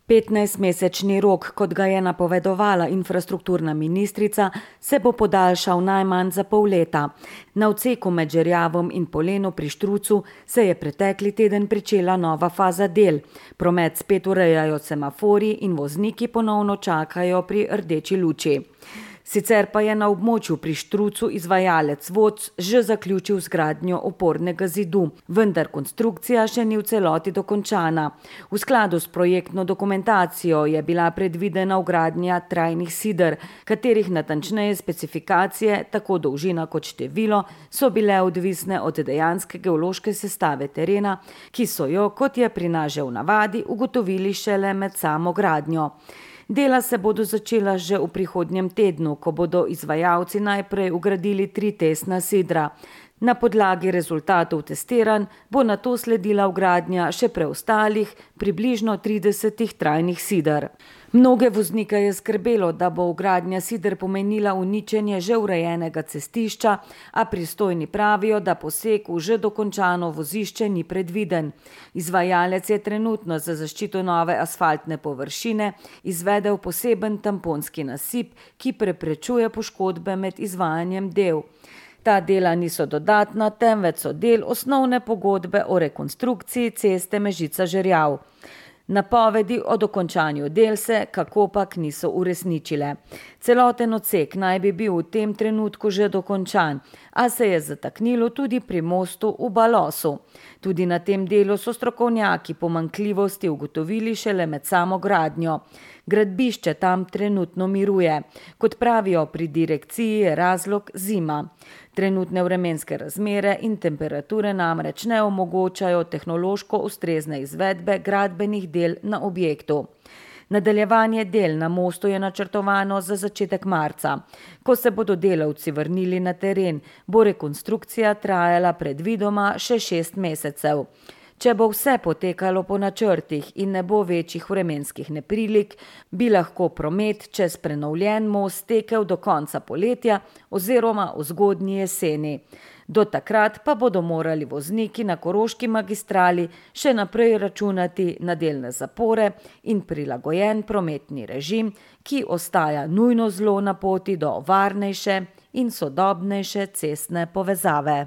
15-mesečni rok, kot ga je napovedovala infrastrukturna ministrica, se bo podaljšal najmanj za pol leta. Na odseku med Žerjavom in Poleno pri Štrucu se je pretekli teden pričela nova faza del. Promet spet urejajo semaforji in vozniki ponovno čakajo pri rdeči luči. Sicer pa je na območju pri Štrucu izvajalec VOC že zaključil zgradnjo opornega zidu, vendar konstrukcija še ni v celoti dokončana. V skladu s projektno dokumentacijo je bila predvidena vgradnja trajnih sider, katerih natančneje specifikacije, tako dolžina kot število, so bile odvisne od dejanske geološke sestave terena, ki so jo, kot je pri nas že v navadi, ugotovili šele med samo gradnjo. Dela se bodo začela že v prihodnjem tednu, ko bodo izvajalci najprej vgradili 3 testna sidra. Na podlagi rezultatov testiranj bo nato sledila vgradnja še preostalih, približno 30 trajnih sider. Mnoge voznike je skrbelo, da bo vgradnja sider pomenila uničenje že urejenega cestišča, a pristojni pravijo, da poseg v že dokončano vozišče ni predviden. Izvajalec je trenutno za zaščito nove asfaltne površine izvedel poseben tamponski nasip, ki preprečuje poškodbe med izvajanjem del. Ta dela niso dodatna, temveč so del osnovne pogodbe o rekonstrukciji ceste Mežica-Žerjav. Napovedi o dokončanju del se kakopak niso uresničile. Celoten odsek naj bi bil v tem trenutku že dokončan, a se je zataknilo tudi pri mostu v Balosu. Tudi na tem delu so strokovnjaki pomanjkljivosti ugotovili šele med samo gradnjo. Gradbišče tam trenutno miruje. Kot pravijo pri direkciji, je razlog zima. Trenutne vremenske razmere in temperature namreč ne omogočajo tehnološko ustrezne izvedbe gradbenih del na objektu. Nadaljevanje del na mostu je načrtovano za začetek marca. Ko se bodo delavci vrnili na teren, bo rekonstrukcija trajala predvidoma še 6 mesecev. Če bo vse potekalo po načrtih in ne bo večjih vremenskih neprilik, bi lahko promet čez prenovljen most tekel do konca poletja oziroma v zgodnji jeseni. Do takrat pa bodo morali vozniki na Koroški magistrali še naprej računati na delne zapore in prilagojen prometni režim, ki ostaja nujno zlo na poti do varnejše in sodobnejše cestne povezave.